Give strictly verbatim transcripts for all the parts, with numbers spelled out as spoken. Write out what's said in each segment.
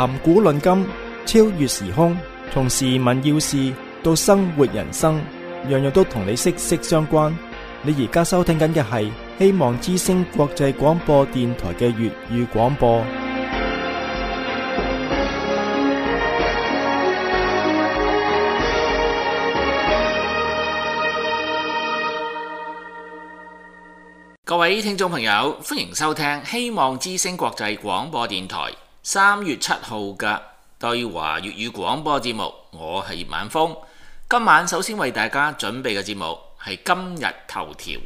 談古論今，超越時空，從時聞要事到生活人生，樣樣都同你息息相關。你而家收聽緊嘅係希望之聲國際廣播電台嘅粵語廣播。各位聽眾朋友，歡迎收聽希望之聲國際廣播電台三月七號嘅對華粵語廣播節目。我係葉晚風，今晚首先為大家準備嘅節目係今日頭條。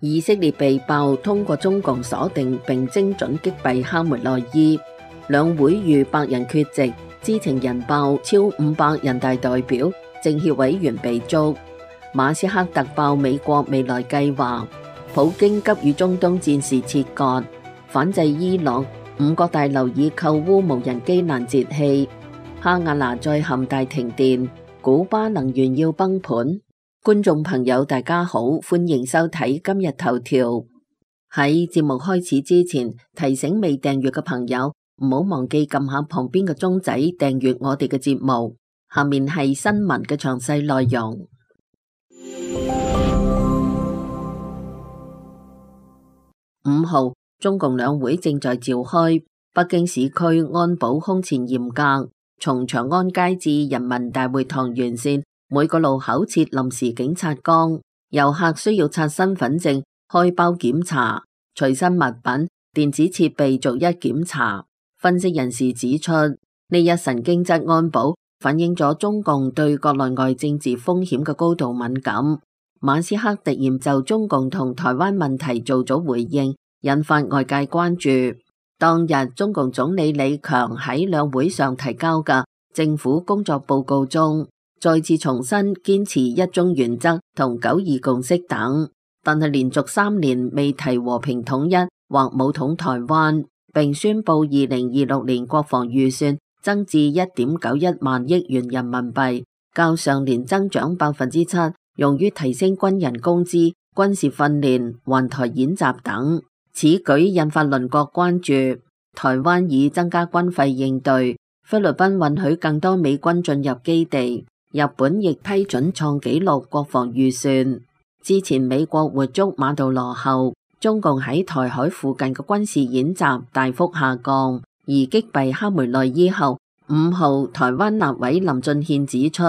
以色列被爆通過中共鎖定並精準擊斃哈梅內伊。兩會逾百人缺席，知情人爆超五百人大代表、政協委員被捉。馬斯克特爆美國未來計劃，普京急與中東戰事切割，反制伊朗，五角大樓以扣烏無人機攔截器。哈瓦那再陷大停電，古巴能源要崩盤。觀眾朋友大家好，歡迎收睇今日頭條。喺節目開始之前，提醒未訂閱嘅朋友，唔好忘記撳下旁邊嘅鐘仔訂閱我哋嘅節目。下面係新聞嘅詳細內容。五號，中共兩會正在召開，北京市區安保空前嚴格，從長安街至人民大會堂沿線每個路口設臨時警察崗，遊客需要刷身份證、開包檢查，隨身物品、電子設備逐一檢查。分析人士指出，呢一神經質安保反映咗中共對國內外政治風險嘅高度敏感。馬斯克突然就中共同台灣問題做咗回應，引發外界關注。當日中共總理李強喺兩會上提交嘅政府工作報告中，再次重申堅持一中原則同九二共識等，但係連續三年未提和平統一或武統台灣，並宣布二零二六年國防預算增至一點九一萬億元人民幣，較上年增長百分之七，用於提升軍人工資、軍事訓練、環台演習等。此舉引發鄰國關注，台灣已增加軍費應對，菲律賓允許更多美軍進入基地，日本亦批准創紀錄國防預算。之前美國活捉馬杜羅後，中共喺台海附近嘅軍事演習大幅下降，而擊斃哈梅內伊後，五號台灣立委林俊憲指出，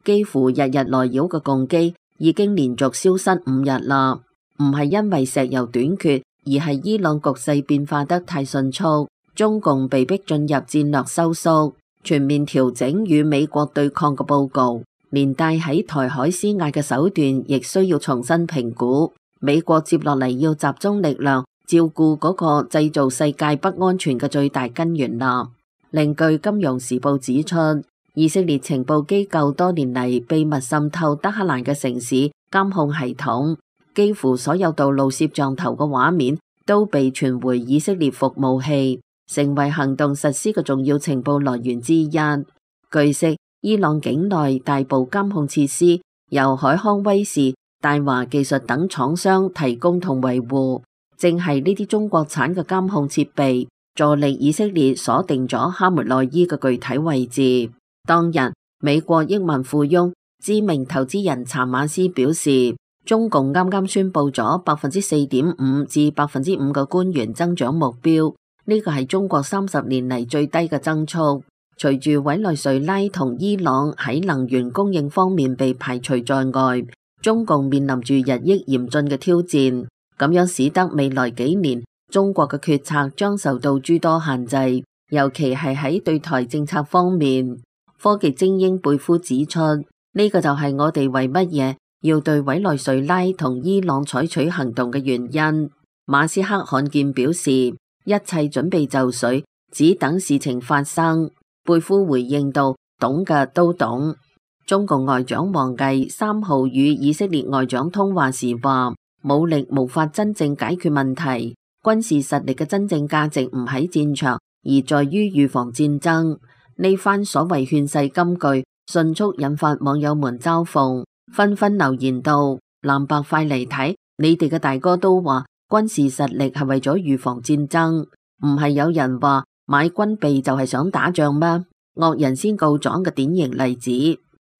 幾乎日日來擾嘅共機已經連續消失五日啦，唔係因為石油短缺，而係伊朗局勢變化得太迅速，中共被迫進入戰略收縮，全面調整與美國對抗嘅報告，連帶喺台海施壓嘅手段亦需要重新評估。美國接落嚟要集中力量照顧嗰個製造世界不安全嘅最大根源啦。另據《金融時報》指出，以色列情報機構多年嚟秘密滲透德黑蘭嘅城市監控系統，幾乎所有道路攝像頭嘅畫面都被傳回以色列服務器，成為行動實施嘅重要情報來源之一。據悉，伊朗境內大部監控設施由海康威視、大華技術等廠商提供同維護，正係呢啲中國產嘅監控設備助力以色列鎖定咗哈梅內伊嘅具體位置。當日，美國億萬富翁、知名投資人查馬斯表示，中共啱啱宣布咗百分之四點五至百分之五嘅官員增長目標，呢個係中國三十年嚟最低嘅增速。隨住委內瑞拉同伊朗喺能源供應方面被排除在外，中共面臨住日益嚴峻嘅挑戰，咁樣使得未來幾年中國嘅決策將受到諸多限制，尤其係喺對台政策方面。科技精英貝夫指出，呢個就係我哋為乜嘢要對委內瑞拉同伊朗採取行動嘅原因。馬斯克罕見表示，一切準備就緒，只等事情發生。貝夫回應道，懂嘅都懂。中共外長王毅三號與以色列外長通話時話，武力無法真正解決問題，軍事實力嘅真正價值唔喺戰場，而在於預防戰爭。呢番所謂勸世金句，迅速引發網友們嘲諷。紛紛留言道：藍白快嚟睇，你哋嘅大哥都話軍事實力係為咗預防戰爭，唔係有人話買軍備就係想打仗咩？惡人先告狀嘅典型例子。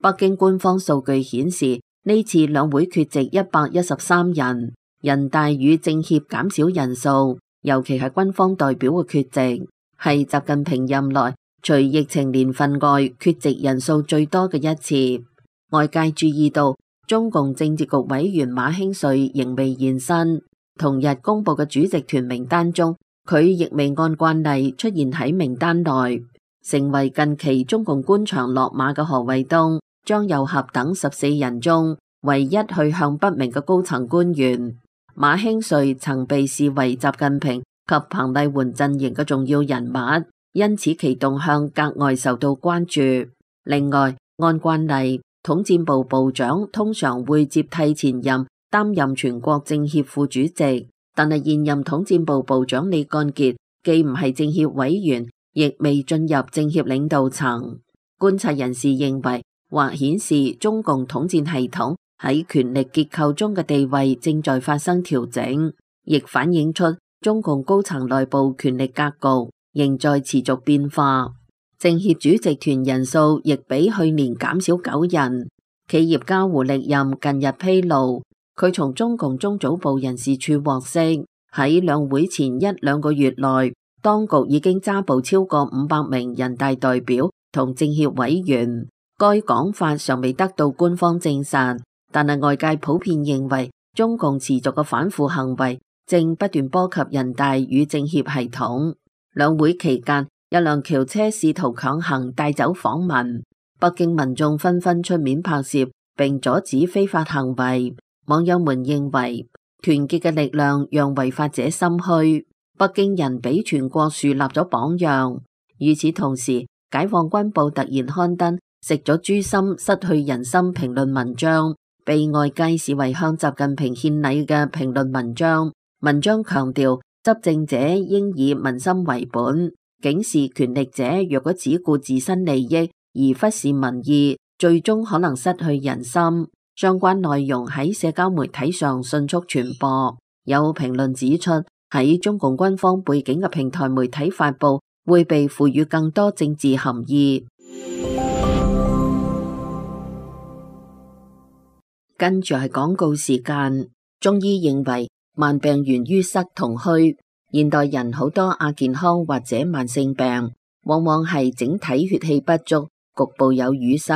北京官方數據顯示，呢次兩會缺席一百一十三人，人大與政協減少人數，尤其係軍方代表嘅缺席，係習近平任內除疫情年份外缺席人數最多嘅一次。外界注意到，中共政治局委員馬興瑞仍未現身，同日公布嘅主席團名單中，佢亦未按慣例出現喺名單內，成為近期中共官場落馬嘅何衛東、張又俠等十四人中唯一去向不明嘅高層官員。馬興瑞曾被視為習近平及彭麗媛陣營嘅重要人物，因此其動向格外受到關注。另外，按慣例，統戰部部長通常會接替前任擔任全國政協副主席，但係現任統戰部部長李幹傑既唔係政協委員，亦未進入政協領導層。觀察人士認為，或顯示中共統戰系統喺權力結構中嘅地位正在發生調整，亦反映出中共高層內部權力格局仍在持續變化。政協主席團人數亦比去年減少九人。企業家胡力任近日披露，佢從中共中組部人事處獲悉，喺兩會前一兩個月內，當局已經抓捕超過五百名人大代表同政協委員。該講法尚未得到官方證實，但係外界普遍認為，中共持續嘅反腐行為正不斷波及人大與政協系統。兩會期間，有輛轎車試圖強行帶走訪民，北京民眾紛紛出面拍攝並阻止非法行為。網友們認為，團結嘅力量讓違法者心虛，北京人俾全國樹立咗榜樣。與此同時，解放軍報突然刊登食咗豬心失去人心評論文章，被外界視為向習近平獻禮嘅評論文章。文章強調執政者應以民心為本，警示權力者若果只顧自身利益而忽視民意，最終可能失去人心。相關內容喺社交媒體上迅速傳播。有評論指出，喺中共軍方背景嘅平台媒體發布會被賦予更多政治含義。跟住係廣告時間。中醫認為慢病源於塞同虛，現代人好多亞健康或者慢性病，往往係整體血氣不足，局部有淤塞，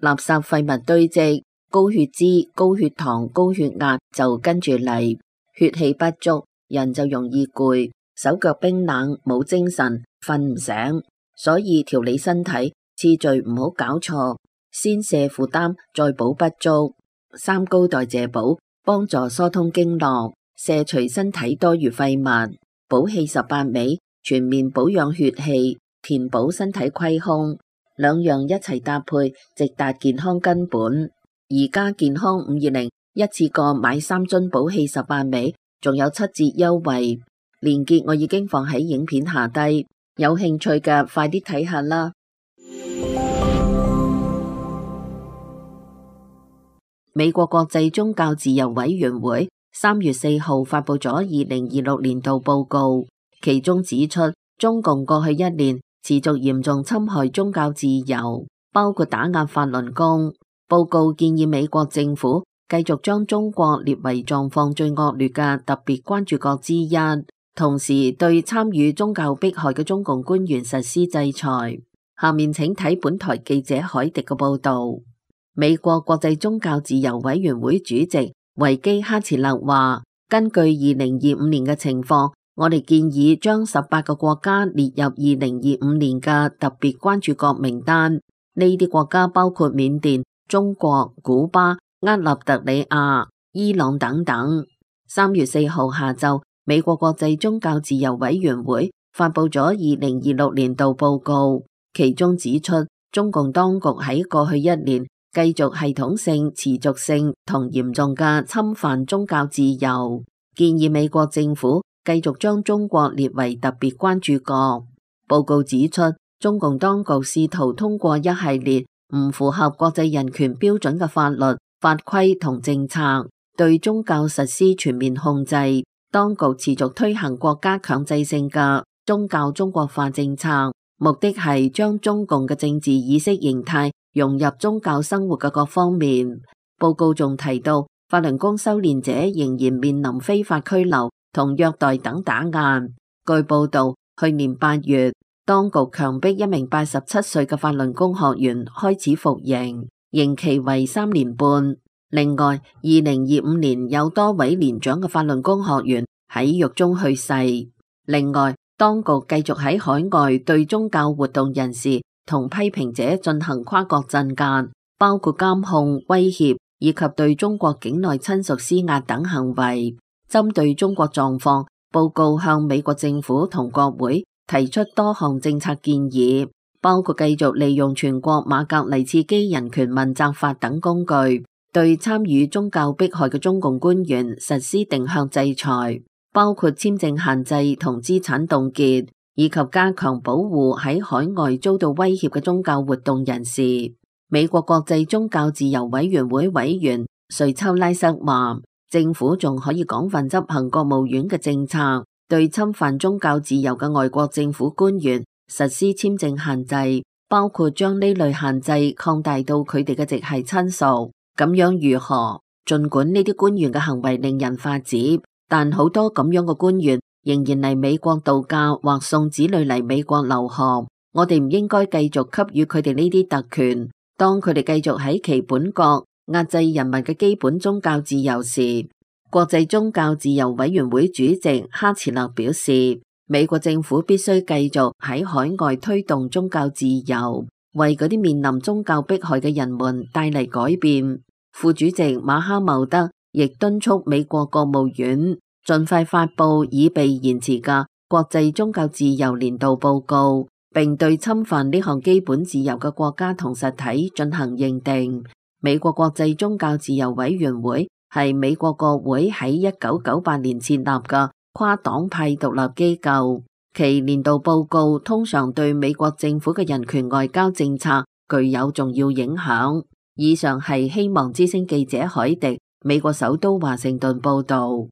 垃圾廢物堆積，高血脂、高血糖、高血壓就跟住嚟。血氣不足，人就容易攰，手腳冰冷，冇精神，瞓唔醒。所以調理身體次序唔好搞錯，先瀉負擔，再補不足。三高代謝補幫助疏通經絡，卸除身體多餘廢物。補氣十八味全面保養血氣，填補身體虧空，兩樣一齊搭配，直達健康根本。而家健康五二零一次過買三樽補氣十八味，仲有七折優惠，鏈接我已經放喺影片下低，有興趣嘅快啲睇下啦。美國國際宗教自由委員會三月四號發佈咗二零二六年度報告，其中指出中共過去一年持續嚴重侵害宗教自由，包括打壓法輪功。報告建議美國政府繼續將中國列為狀況最惡劣嘅特別關注國之一，同時對參與宗教迫害嘅中共官員實施制裁。下面請睇本台記者海迪嘅報道。美國國際宗教自由委員會主席維基哈茨勒話，根據二零二五年嘅情況，我哋建議將十八個國家列入二零二五年嘅特別關注國名單。呢啲國家包括緬甸、中國、古巴、厄立特里亞、伊朗等等。三月四號下晝，美國國際宗教自由委員會發佈咗二零二六年度報告，其中指出，中共當局喺過去一年繼續系統性、持續性同嚴重嘅侵犯宗教自由，建議美國政府繼續將中國列為特別關注國。報告指出，中共當局試圖通過一系列唔符合國際人權標準嘅法律法規同政策，對宗教實施全面控制。當局持續推行國家強制性嘅宗教中國化政策，目的係將中共嘅政治意識形態融入宗教生活嘅各方面。報告仲提到，法輪功修煉者仍然面臨非法拘留同虐待等打壓。據報道，去年八月，當局強迫一名八十七歲嘅法輪功學員開始服刑，刑期為三年半。另外，二零二五年有多位年長嘅法輪功學員喺獄中去世。另外，當局繼續喺海外對宗教活動人士同批評者進行跨國鎮壓，包括監控、威脅以及對中國境內親屬施壓等行為。針對中國狀況，報告向美國政府同國會提出多項政策建議，包括繼續利用全國馬格尼茨基人權問責法等工具，對參與宗教迫害嘅中共官員實施定向制裁，包括簽證限制同資產凍結，以及加強保護喺海外遭到威脅嘅宗教活動人士。美國國際宗教自由委員會委員瑞秋拉瑟話，政府仲可以廣泛執行國務院嘅政策，對侵犯宗教自由嘅外國政府官員實施簽證限制，包括將呢類限制擴大到佢哋嘅直系親屬。咁樣如何？盡管呢啲官員嘅行為令人髮指，但好多咁樣嘅官員仍然嚟美國度假或送子女嚟美國留學。我哋唔應該繼續給予佢哋呢啲特權。當佢哋繼續喺其本國壓制人民嘅基本宗教自由時，國際宗教自由委員會主席哈茨勒表示，美國政府必須繼續喺海外推動宗教自由，為嗰啲面臨宗教迫害嘅人們帶嚟改變。副主席馬哈茂德亦敦促美國國務院盡快發布已被延遲嘅國際宗教自由年度報告，並對侵犯呢項基本自由嘅國家同實體進行認定。美國國際宗教自由委員會係美國國會喺一九九八年設立嘅跨黨派獨立機構，其年度報告通常對美國政府嘅人權外交政策具有重要影響。以上係希望之聲記者海迪美國首都華盛頓報道。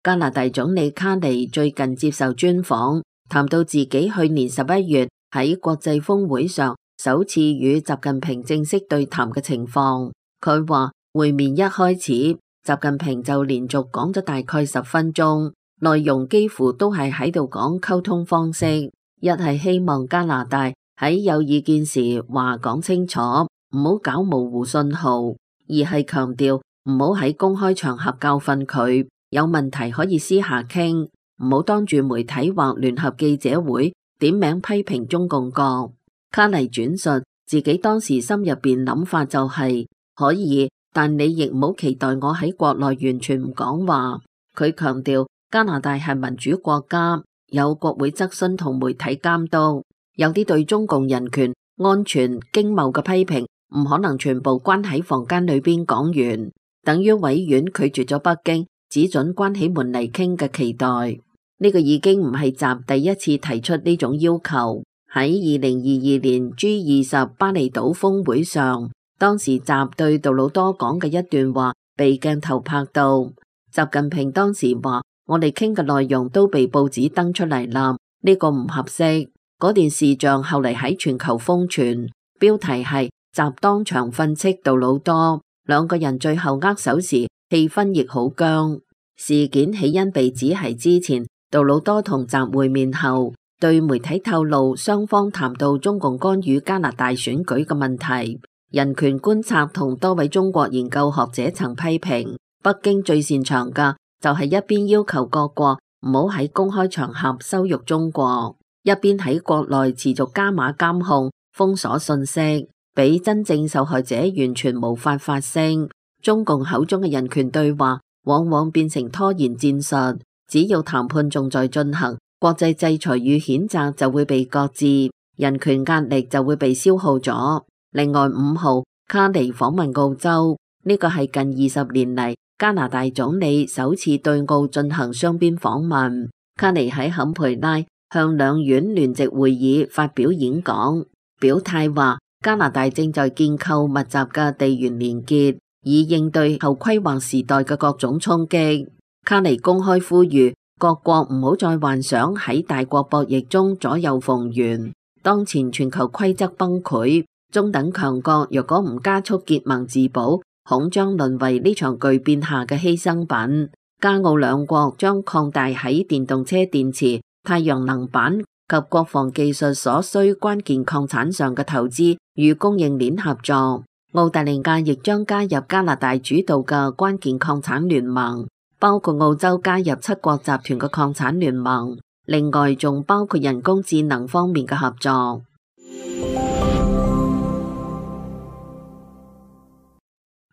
加拿大總理卡尼最近接受專訪，談到自己去年十一月喺國際峰會上首次與習近平正式對談嘅情況。佢話會面一開始，習近平就連續講咗大概十分鐘，內容幾乎都係喺度講溝通方式。一係希望加拿大喺有意見時話講清楚，唔好搞模糊信號；二係強調唔好喺公開場合教訓佢，有問題可以私下傾，唔好當住媒體或聯合記者會點名批評中共國。卡尼轉述自己當時心入邊諗法就係、是、可以，但你亦唔好期待我喺國內完全唔講話。佢強調加拿大係民主國家，有國會質詢同媒體監督，有啲對中共人權、安全、經貿嘅批評唔可能全部關喺房間裏邊講完，等於委員拒絕咗北京只准關起門嚟傾嘅期待。呢、這個已經唔係習第一次提出呢種要求。喺二零二二年 G 二十巴厘島峰會上，當時習對杜魯多講嘅一段話被鏡頭拍到，習近平當時話：我哋傾嘅內容都被報紙登出嚟啦，呢、這個唔合適。嗰段視像後嚟喺全球瘋傳，標題係習當場訓斥杜魯多，兩個人最後握手時氣氛亦好僵。事件起因被指係之前杜魯多同習會面後，對媒體透露雙方談到中共干預加拿大選舉嘅問題。人權觀察同多位中國研究學者曾批評，北京最擅長嘅就係一邊要求各國唔好喺公開場合羞辱中國，一邊喺國內持續加碼監控、封鎖信息，俾真正受害者完全無法發聲。中共口中嘅人權對話往往變成拖延戰術，只要談判仲在進行，國際制裁與譴責就會被擱置，人權壓力就會被消耗咗。另外，五號卡尼訪問澳洲，呢個係近二十年嚟加拿大總理首次對澳進行雙邊訪問。卡尼喺坎培拉向兩院聯席會議發表演講。表態話加拿大正在建構密集嘅地緣連結，以應對後規劃時代嘅各種衝擊。卡尼公開呼籲各國唔好再幻想喺大國博弈中左右逢源。當前全球規則崩潰，中等強國若果唔加速結盟自保，恐將淪為呢場巨變下嘅犧牲品。加澳兩國將擴大喺電動車電池、太陽能板及國防技術所需關鍵礦產上嘅投資與供應鏈合作。澳大利亞亦將加入加拿大主導嘅關鍵礦產聯盟，包括澳洲加入七國集團嘅礦產聯盟，另外仲包括人工智能方面嘅合作。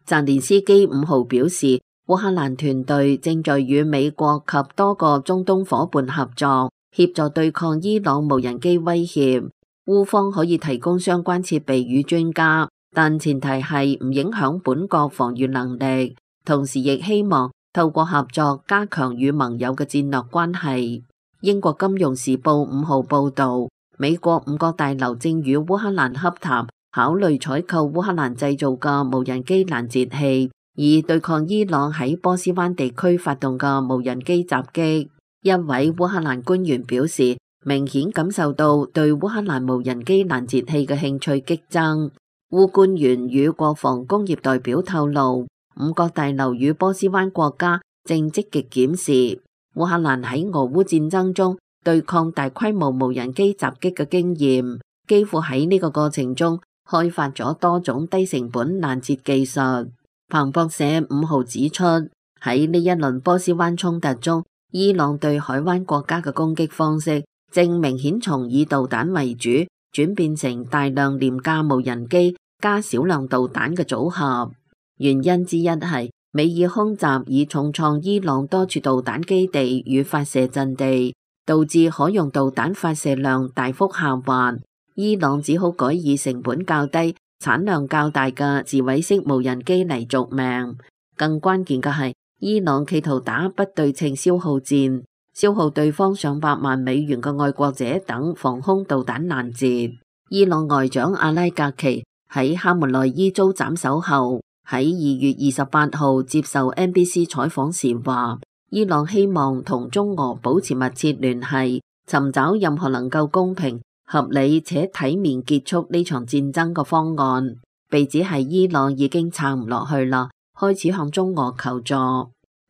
澤連斯基五號表示，烏克蘭團隊正在與美國及多個中東夥伴合作，協助對抗伊朗無人機威脅。烏方可以提供相關設備與專家，但前提係唔影響本國防禦能力，同時亦希望透過合作加強與盟友嘅戰略關係。英國金融時報五號報道，美國五角大樓正與烏克蘭洽談，考慮採購烏克蘭製造嘅無人機攔截器，以對抗伊朗喺波斯灣地區發動嘅無人機襲擊。一位烏克蘭官員表示，明顯感受到對烏克蘭無人機攔截器嘅興趣激增。烏官員與國防工業代表透露，五角大樓與波斯灣國家正積極檢視烏克蘭喺俄烏戰爭中對抗大規模無人機襲擊嘅經驗，幾乎喺呢個過程中開發咗多種低成本攔截技術。彭博社五號指出，喺呢一輪波斯灣衝突中，伊朗對海灣國家嘅攻擊方式正明顯從以導彈為主，轉變成大量廉價無人機加少量導彈嘅組合。原因之一係美以空襲以重創伊朗多處導彈基地與發射陣地，導致可用導彈發射量大幅下滑。伊朗只好改以成本較低、產量較大嘅自毀式無人機嚟續命。更關鍵嘅係，伊朗企圖打不對稱消耗戰，消耗對方上百萬美元嘅愛國者等防空導彈攔截。伊朗外長阿拉格奇喺哈梅內伊遭斬首後，喺二月二十八號接受 N B C 採訪時話，伊朗希望同中俄保持密切聯繫，尋找任何能夠公平、合理且體面結束呢場戰爭嘅方案。被指係伊朗已經撐唔落去啦，開始向中俄求助。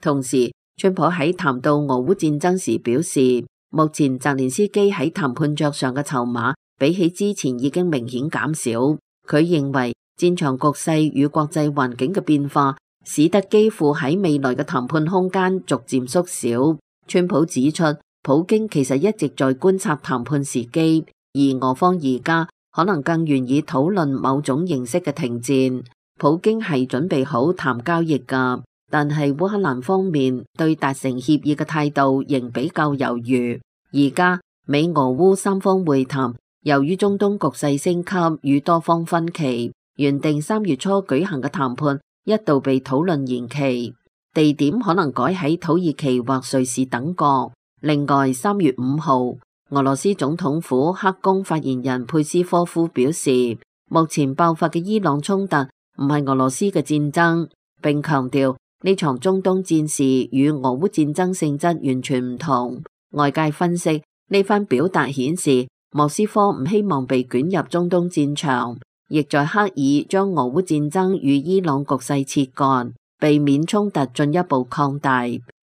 同時，川普喺談到俄烏戰爭時表示，目前澤連斯基喺談判桌上嘅籌碼比起之前已經明顯減少。佢認為戰場局勢與國際環境嘅變化，使得基輔喺未來嘅談判空間逐漸縮小。川普指出，普京其實一直在觀察談判時機，而俄方而家可能更願意討論某種形式嘅停戰。普京係準備好談交易㗎，但係烏克蘭方面對達成協議嘅態度仍比較猶豫。而家美俄烏三方會談，由於中東局勢升級與多方分歧，原定三月初舉行嘅談判一度被討論延期，地點可能改喺土耳其或瑞士等國。另外，三月五號，俄羅斯總統府克宮發言人佩斯科夫表示，目前爆發嘅伊朗衝突唔係俄羅斯嘅戰爭，並強調呢場中東戰事與俄烏戰爭性質完全唔同。外界分析，呢番表達顯示莫斯科唔希望被捲入中東戰場，亦在刻意將俄烏戰爭與伊朗局勢切割，避免衝突進一步擴大。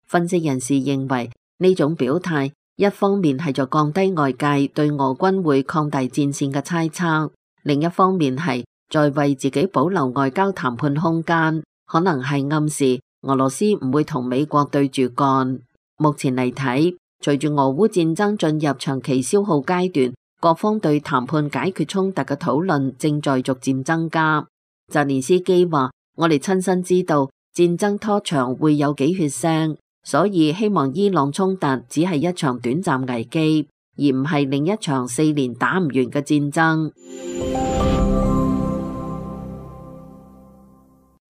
分析人士認為，呢種表態一方面係在降低外界對俄軍會擴大戰線嘅猜測，另一方面係在為自己保留外交談判空間，可能係暗示俄羅斯唔會同美國對住幹。目前嚟睇，隨住俄烏戰爭進入長期消耗階段，各方對談判解決衝突嘅討論正在逐漸增加。澤連斯基話：我哋親身知道戰爭拖長會有幾血腥，所以希望伊朗衝突只係一場短暫危機，而唔係另一場四年打唔完嘅戰爭。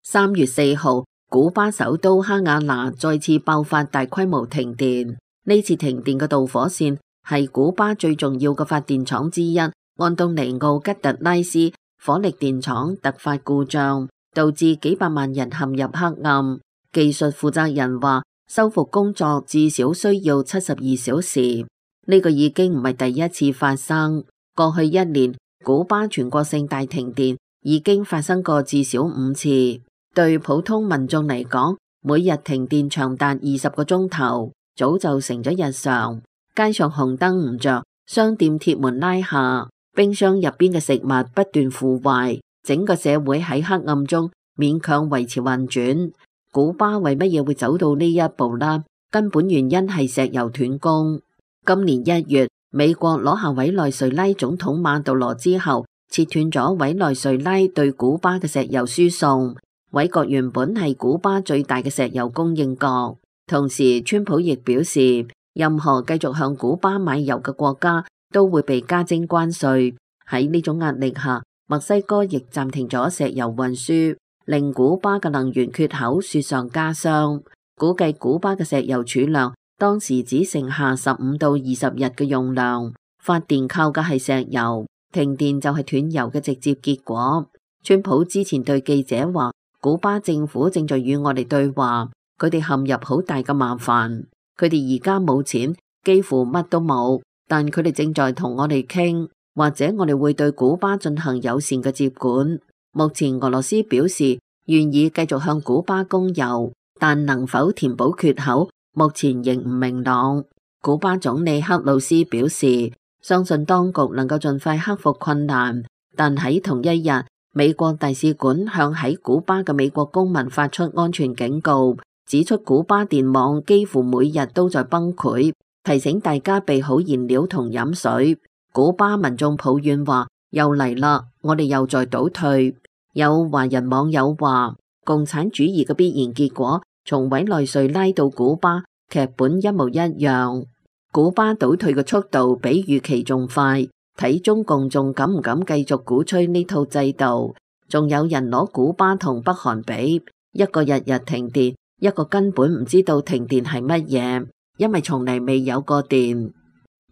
三月四號，古巴首都哈瓦那再次爆發大規模停電。呢次停電嘅導火線係古巴最重要嘅發電廠之一安東尼奧吉特拉斯火力電廠突發故障，導致幾百萬人陷入黑暗。技術負責人話，修復工作至少需要七十二小時。呢個已經唔係第一次發生。過去一年，古巴全國性大停電已經發生過至少五次。對普通民眾嚟講，每日停電長達二十個鐘頭，早就成咗日常。街上紅燈唔着，商店鐵門拉下，冰箱入邊嘅食物不斷腐壞，整個社會喺黑暗中勉強維持運轉。古巴為乜嘢會走到呢一步呢？根本原因係石油斷供。今年一月，美國攞下委內瑞拉總統馬杜羅之後，切斷咗委內瑞拉對古巴嘅石油輸送。委國原本係古巴最大嘅石油供應國，同時川普亦表示，任何繼續向古巴買油嘅國家都會被加徵關稅。喺呢種壓力下，墨西哥亦暫停咗石油運輸，令古巴嘅能源缺口雪上加霜。估計古巴嘅石油儲量當時只剩下十五到二十日嘅用量。發電靠嘅係石油，停電就係斷油嘅直接結果。川普之前對記者話，古巴政府正在與我哋對話，佢哋陷入好大嘅麻煩。佢哋而家冇錢，幾乎乜都冇，但佢哋正在同我哋傾，或者我哋會對古巴進行友善嘅接管。目前俄羅斯表示願意繼續向古巴供油，但能否填補缺口，目前仍唔明朗。古巴總理克魯斯表示，相信當局能夠盡快克服困難，但喺同一日，美國大使館向喺古巴嘅美國公民發出安全警告，指出古巴電網幾乎每日都在崩潰，提醒大家備好燃料同飲水。古巴民眾抱怨話，又嚟啦，我哋又在倒退。有華人網友話，共產主義嘅必然結果，從委內瑞拉到古巴，劇本一模一樣。古巴倒退嘅速度比預期仲快，睇中共仲敢唔敢繼續鼓吹呢套制度？仲有人攞古巴同北韓比，一個日日停電，一個根本唔知道停電係乜嘢，因為從嚟未有過電。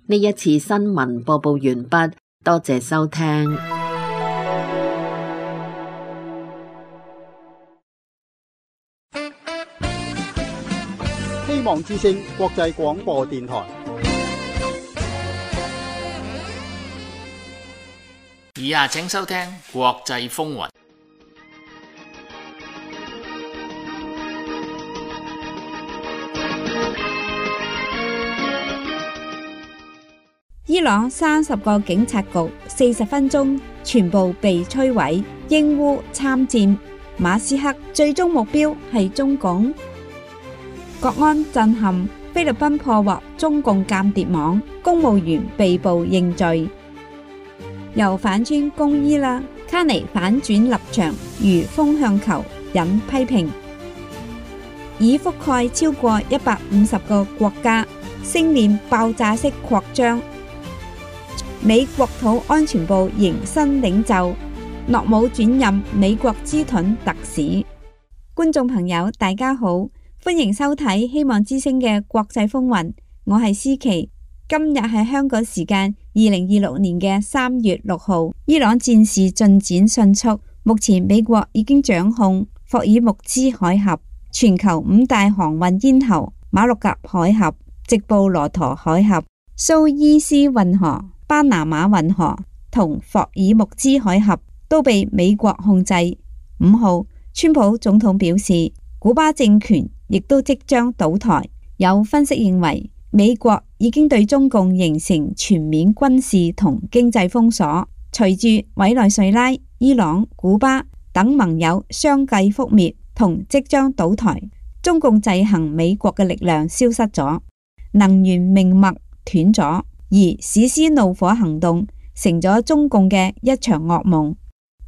呢一次新聞播報完畢，多謝收聽。希望之聲國際廣播電台。以下請收聽國際風雲。伊朗三十個警察局四十分鐘全部被摧毀，英烏參戰，馬斯克最終目標係中共。國安震撼，菲律賓破獲中共間諜網，公務員被捕認罪。又反穿攻伊啦，卡尼反轉立場，如風向球，引批評。已覆蓋超過一百五十個國家，星鏈爆炸式擴張。美國土安全部迎新領袖，諾姆轉任美國之盾特使。觀眾朋友，大家好，歡迎收睇希望之聲嘅國際風雲，我係思琪。今日係香港時間二零二六年嘅三月六號。伊朗戰事進展迅速，目前美國已經掌控霍爾木茲海峽、全球五大航運咽喉馬六甲海峽、直布羅陀海峽、蘇伊士運河、巴拿馬運河同霍爾木茲海峽都被美國控制。五號，川普總統表示，古巴政權亦都即將倒台。有分析認為，美國已經對中共形成全面軍事同經濟封鎖。隨住委內瑞拉、伊朗、古巴等盟友相繼覆滅同即將倒台，中共制衡美國嘅力量消失咗，能源命脈斷咗，而史詩怒火行動成咗中共嘅一場噩夢。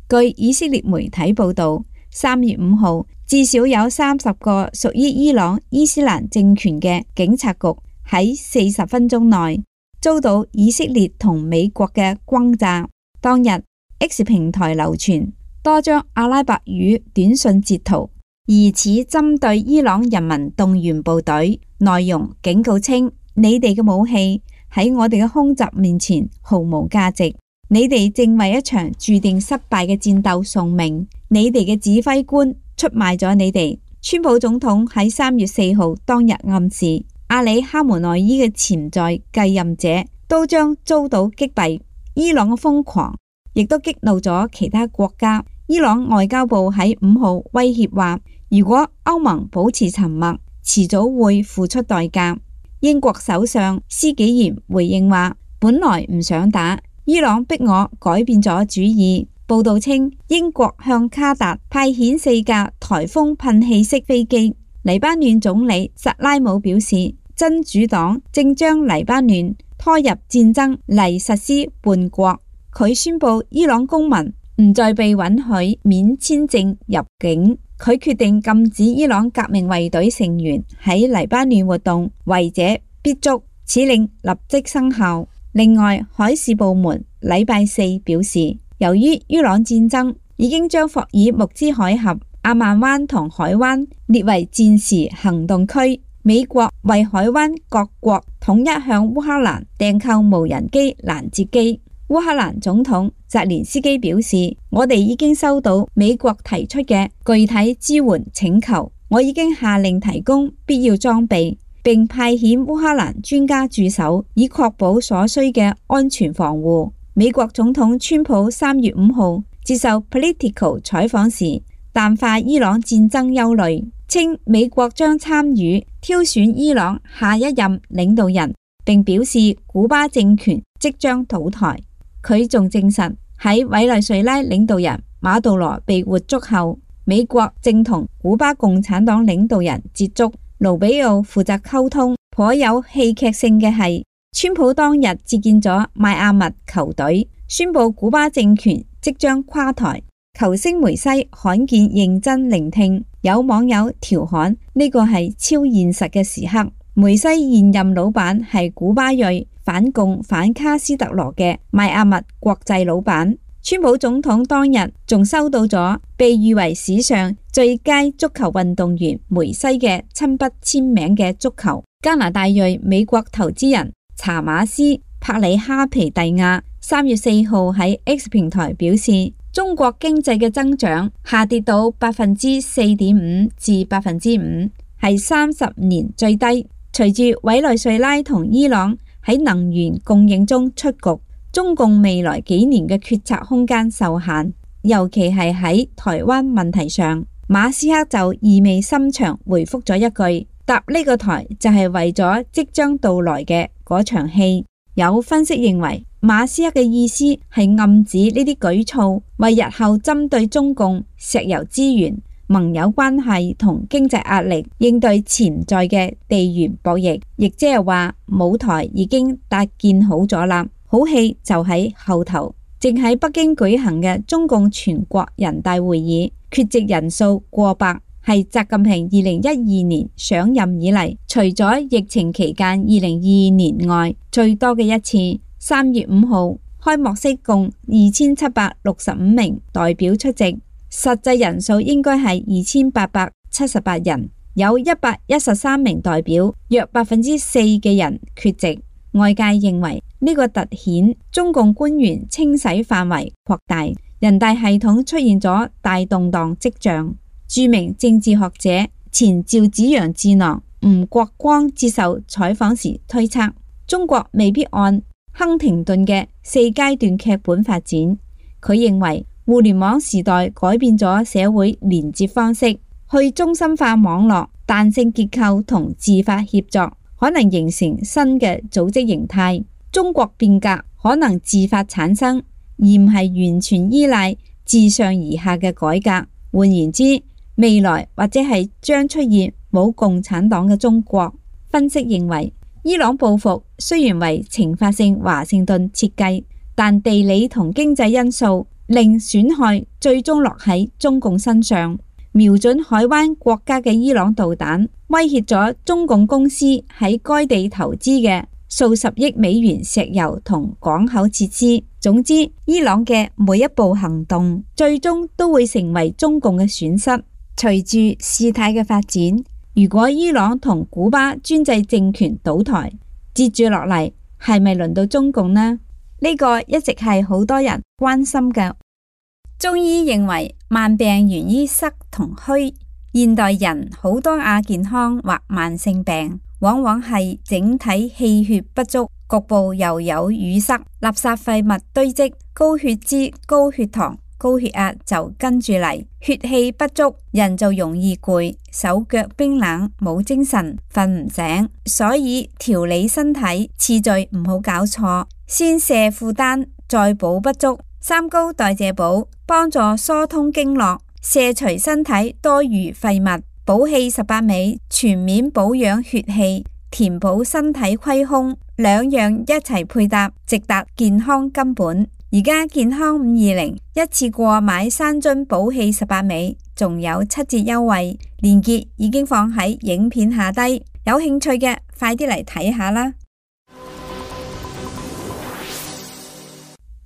據以色列媒體報道，三月五號至少有三十個屬於伊朗伊斯蘭政權嘅警察局喺四十分鐘內遭到以色列同美國嘅轟炸。當日 X 平台流傳多張阿拉伯語短信截圖，疑似針對伊朗人民動員部隊，內容警告稱，你哋嘅武器喺我哋嘅空襲面前毫無價值，你哋正為一場注定失敗嘅戰鬥送命，你哋嘅指揮官出賣咗你哋。川普總統喺三月四號當日暗示，阿里哈梅內伊嘅潛在繼任者都將遭到擊斃。伊朗嘅瘋狂亦都激怒咗其他國家。伊朗外交部喺五號威脅話，如果歐盟保持沉默，遲早會付出代價。英國首相施紀賢回應話，本來唔想打，伊朗逼我改變咗主意。報道稱，英國向卡達派遣四架颱風噴氣式飛機。黎巴嫩總理薩拉姆表示，真主黨正將黎巴嫩拖入戰爭嚟實施叛國。佢宣布伊朗公民唔再被允許免簽證入境。佢決定禁止伊朗革命衛隊成員喺黎巴嫩活動，違者必捉。此令立即生效。另外，海事部門禮拜四表示，由於伊朗戰爭已經將霍爾木茲海峽、阿曼灣同海灣列為戰時行動區，美國為海灣各國統一向烏克蘭訂購無人機攔截機。烏克蘭總統澤連斯基表示，我哋已經收到美國提出嘅具體支援請求，我已經下令提供必要裝備，並派遣烏克蘭專家駐守，以確保所需嘅安全防護。美國總統川普三月五號接受 Politico 採訪時，淡化伊朗戰爭憂慮，稱美國將參與挑選伊朗下一任領導人，並表示古巴政權即將倒台。佢仲證實喺委內瑞拉領導人馬杜羅被活捉後，美國正同古巴共產黨領導人接觸，盧比奧負責溝通。頗有戲劇性嘅係，川普當日接見咗邁阿密球隊，宣布古巴政權即將垮台。球星梅西罕見認真聆聽，有網友調侃呢個係超現實嘅時刻。梅西現任老闆係古巴裔反共反卡斯特羅嘅邁阿密國際老闆。川普總統當日仲收到咗被譽為史上最佳足球運動員梅西嘅親筆簽名嘅足球。加拿大裔美國投資人查馬斯帕里哈皮蒂亞三月四號喺 X 平台表示，中國經濟嘅增長下跌到百分之四點五至百分之五，係三十年最低。隨住委內瑞拉同伊朗喺能源供應中出局，中共未來幾年嘅決策空間受限，尤其係喺台灣問題上。馬斯克就意味深長回覆咗一句，搭呢個台就係為咗即將到來嘅嗰場戲。有分析認為，馬斯克嘅意思係暗指呢啲舉措為日後針對中共石油資源、盟友關係同經濟壓力應對潛在嘅地緣博弈，亦即係話舞台已經搭建好咗啦，好戲就喺後頭。正喺北京舉行嘅中共全國人大會議，缺席人數過百，係習近平二零一二年上任以嚟，除咗疫情期間二零二二年外最多嘅一次。三月五號開幕式共二千七百六十五名代表出席，實際人數應該係二千八百七十八人，有一百一十三名代表，約百分之四嘅人缺席。外界認為呢個凸顯中共官員清洗範圍擴大，人大系統出現咗大動盪跡象。著名政治學者前趙紫陽智囊吳國光接受採訪時推測，中國未必按亨廷頓嘅四階段劇本發展。佢認為互聯網時代改變咗社會連接方式，去中心化網絡、彈性結構同自發協作可能形成新嘅組織形態。中國變革可能自發產生，而唔係完全依賴自上而下嘅改革。換言之，未來或者係將出現冇共產黨嘅中國。分析認為，伊朗報復雖然為懲罰性華盛頓設計，但地理同經濟因素令損害最終落喺中共身上。瞄準海灣國家嘅伊朗導彈，威脅咗中共公司喺該地投資嘅數十億美元石油同港口設施。總之，伊朗嘅每一步行動，最終都會成為中共嘅損失。隨住事態嘅發展，如果伊朗同古巴專制政權倒台，接住落嚟係咪輪到中共呢？呢個一直係好多人關心嘅。中醫認為慢病源於濕同虛，現代人好多亞健康或慢性病，往往係整體氣血不足，局部又有淤塞，垃圾廢物堆積，高血脂、高血糖、高血壓就跟住嚟，血氣不足，人就容易攰，手腳冰冷，冇精神，瞓唔醒。所以調理身體次序唔好搞錯，先瀉負擔，再補不足。三高代謝補幫助疏通經絡，卸除身體多餘廢物。補氣十八味全面保養血氣，填補身體虧空，兩樣一齊配搭，直達健康根本。而家健康五二零一次過買三樽補氣十八味，仲有七折優惠，鏈接已經放喺影片下低，有興趣嘅快啲嚟睇下啦。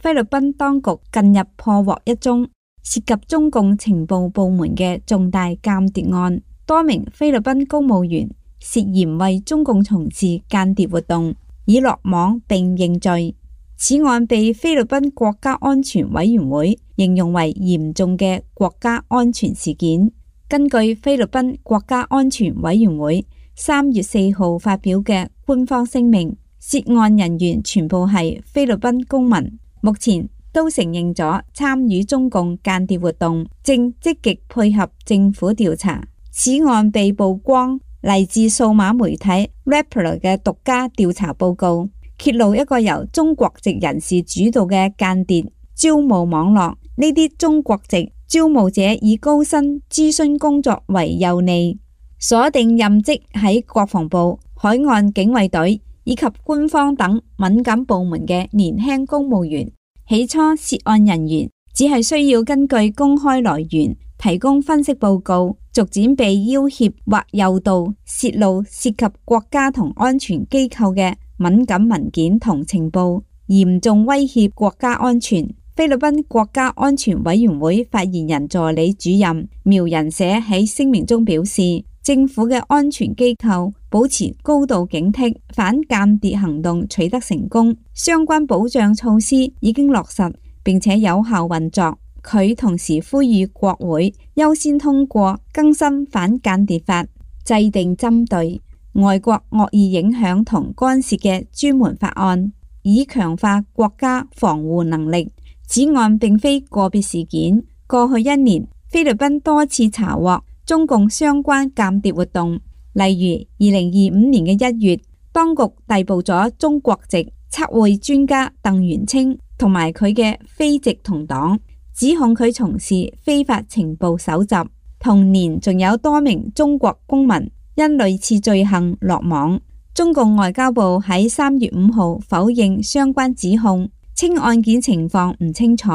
菲律賓當局近日破獲一宗涉及中共情報部門嘅重大間諜案，多名菲律賓公務員涉嫌為中共從事間諜活動，已落網並認罪。此案被菲律賓國家安全委員會形容為嚴重嘅國家安全事件。根據菲律賓國家安全委員會三月四號發表嘅官方聲明，涉案人員全部係菲律賓公民，目前都承認咗參與中共間諜活動，正積極配合政府調查。此案被曝光嚟自數碼媒體 Rappler 嘅獨家調查報告，揭露一個由中國籍人士主導嘅間諜招募網絡。呢啲中國籍招募者以高薪諮詢工作為誘餌，鎖定任職喺國防部、海岸警衛隊以及官方等敏感部門嘅年輕公務員。起初涉案人員只係需要根據公開來源提供分析報告，逐漸被要挾或誘導泄露涉及國家同安全機構嘅敏感文件同情報，嚴重威脅國家安全。菲律賓國家安全委員會發言人助理主任苗人社喺聲明中表示，政府嘅安全機構保持高度警惕，反間諜行動取得成功，相關保障措施已經落實並且有效運作。佢同時呼籲國會優先通過更新反間諜法，制定針對外國惡意影響同干涉嘅專門法案，以強化國家防護能力。此案並非個別事件，過去一年菲律賓多次查獲中共相關間諜活動，例如二零二五年嘅一月，當局逮捕咗中國籍測繪專家鄧元清同埋佢嘅非籍同黨，指控佢從事非法情報搜集。同年仲有多名中國公民因類似罪行落網。中共外交部喺三月五號否認相關指控，稱案件情況唔清楚，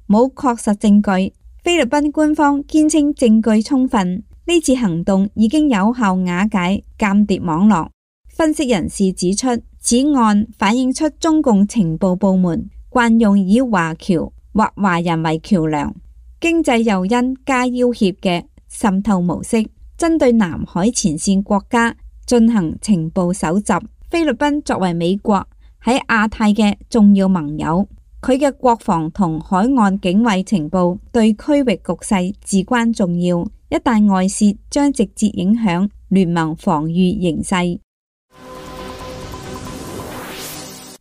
冇確實證據。菲律賓官方堅稱證據充分，呢次行動已經有效瓦解間諜網絡。分析人士指出，此案反映出中共情報部門慣用以華僑或華人為橋樑、經濟誘因加要挾嘅滲透模式，針對南海前線國家進行情報搜集。菲律賓作為美國喺亞太嘅重要盟友，佢嘅國防同海岸警衛情報對區域局勢至關重要，一旦外泄將直接影響聯盟防禦形勢。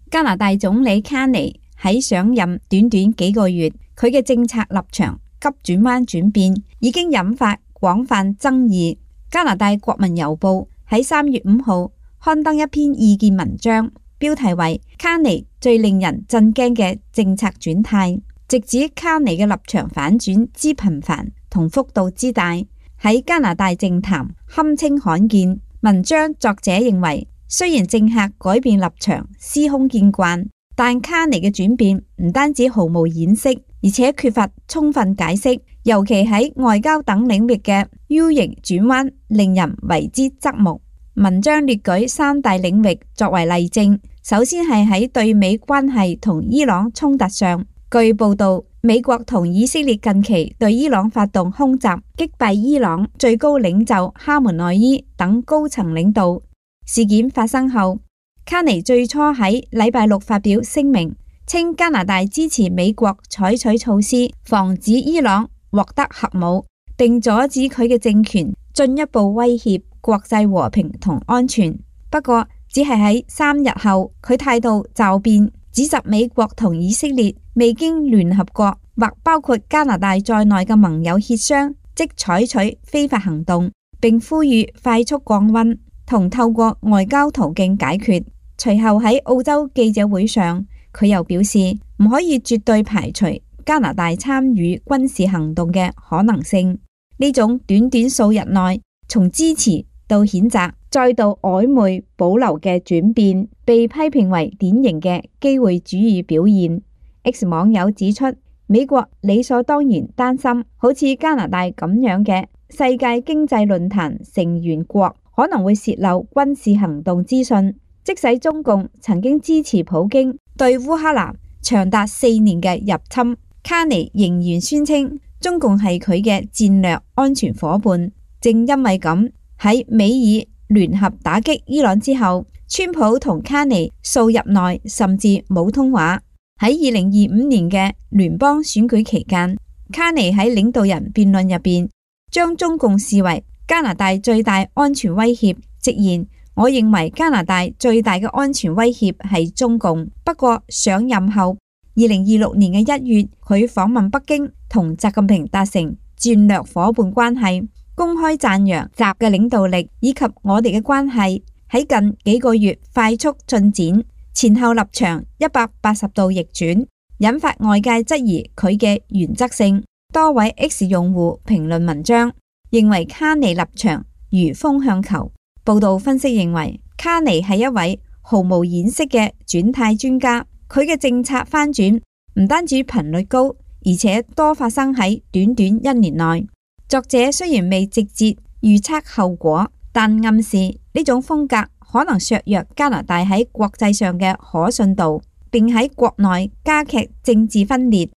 加拿大總理卡尼喺上任短短幾個月，佢嘅政策立場急轉彎轉變，已經引發廣泛爭議。加拿大國民郵報喺三月五號刊登一篇意見文章，標題為卡尼最令人震驚嘅政策轉態，直指卡尼嘅立場反轉之頻繁同幅度之大，喺加拿大政壇堪稱罕見。文章作者認為，雖然政客改變立場司空見慣，但卡尼嘅轉變唔單止毫無掩飾，而且缺乏充分解釋，尤其喺外交等領域嘅 U 型轉彎令人為之側目。文章列舉三大領域作為例證，首先係喺對美關係同伊朗衝突上，據報道，美國同以色列近期對伊朗發動空襲，擊斃伊朗最高領袖哈梅內伊等高層領導。事件發生後，卡尼最初喺禮拜六發表聲明，稱加拿大支持美國採取措施，防止伊朗獲得核武，並阻止佢嘅政權進一步威脅國際和平同安全。不過，只係喺三日後，佢態度驟變，指責美國同以色列未經聯合國或包括加拿大在內嘅盟友協商，即採取非法行動，並呼籲快速降溫同透過外交途徑解決。隨後喺澳洲記者會上，佢又表示唔可以絕對排除加拿大參與軍事行動嘅可能性。呢種短短數日內從支持到譴責再到曖昧保留嘅轉變，被批評為典型嘅機會主義表現。X 網友指出，美國理所當然擔心好似加拿大咁樣嘅世界經濟論壇成員國可能會洩漏軍事行動資訊，即使中共曾經支持普京對烏克蘭長達四年嘅入侵，卡尼仍然宣稱中共係佢嘅戰略安全夥伴。正因為咁，喺美爾聯合打擊伊朗之後，川普同卡尼數日內甚至冇通話。喺二零二五年嘅聯邦選舉期間，卡尼喺領導人辯論入邊將中共視為加拿大最大安全威脅，直言，我認為加拿大最大嘅安全威脅係中共。不過上任後，二零二六年嘅一月，佢訪問北京，同習近平達成戰略夥伴關係，公開讚揚習嘅領導力以及我哋嘅關係喺近幾個月快速進展，前後立場一百八十度逆轉，引發外界質疑佢嘅原則性。多位 X 用戶評論文章，認為卡尼立場如風向球。報道分析認為，卡尼係一位毫無掩飾嘅轉態專家，佢嘅政策翻轉唔單止頻率高，而且多發生喺短短一年內。作者雖然未直接預測後果，但暗示呢種風格可能削弱加拿大喺國際上嘅可信度，並喺國內加劇政治分裂。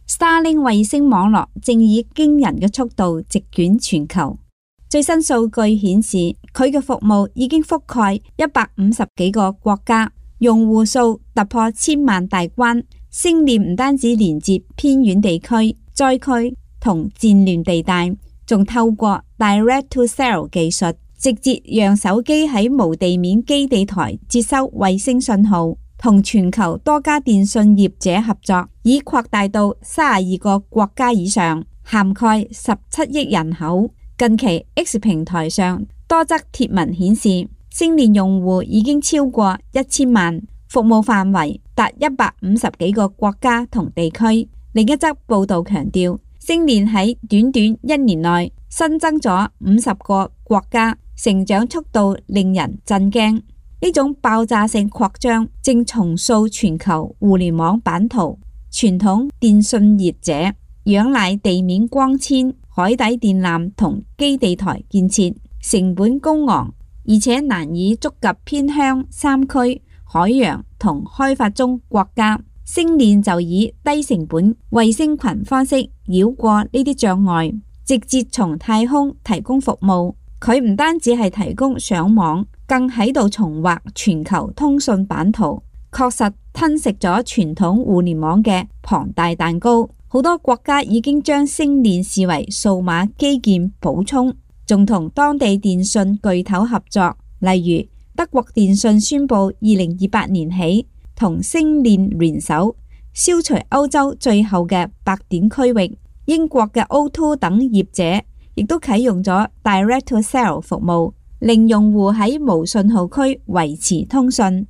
Starlink 衛星網絡正以驚人嘅速度席捲全球。最新數據顯示，佢嘅服務已經覆蓋一百五十幾個國家，用戶數突破千萬大關。星鏈唔單止連接偏遠地區、災區同戰亂地帶，仲透過 Direct to Cell 技術，直接讓手機喺無地面基地台接收衛星信號。同全球多家電信業者合作，已擴大到三十二個國家以上，涵蓋十七億人口。近期 X 平台上多則貼文顯示，星鏈用戶已經超過一千萬，服務範圍達一百五十幾個國家同地區。另一則報道強調，星鏈喺短短一年內新增咗五十個國家，成長速度令人震驚。呢種爆炸性擴張正重塑全球互聯網版圖。傳統電信業者仰賴地面光纖、海底電纜同基地台建設，成本高昂，而且難以觸及偏鄉、山區、海洋同開發中國家。星鏈就以低成本衛星群方式繞過呢啲障礙，直接從太空提供服務。佢唔單止係提供上網，更喺度重劃全球通訊版圖，確實吞食咗傳統互聯網嘅龐大蛋糕。好多國家已經將星鏈視為數碼基建補充，仲同當地電信巨頭合作。例如德國電信宣布，二零二八年起同星鏈聯手消除歐洲最後嘅白點區域。英國嘅 O 二 等業者亦都啟用咗 Direct to Cell 服務，令用戶喺無信號區維持通訊。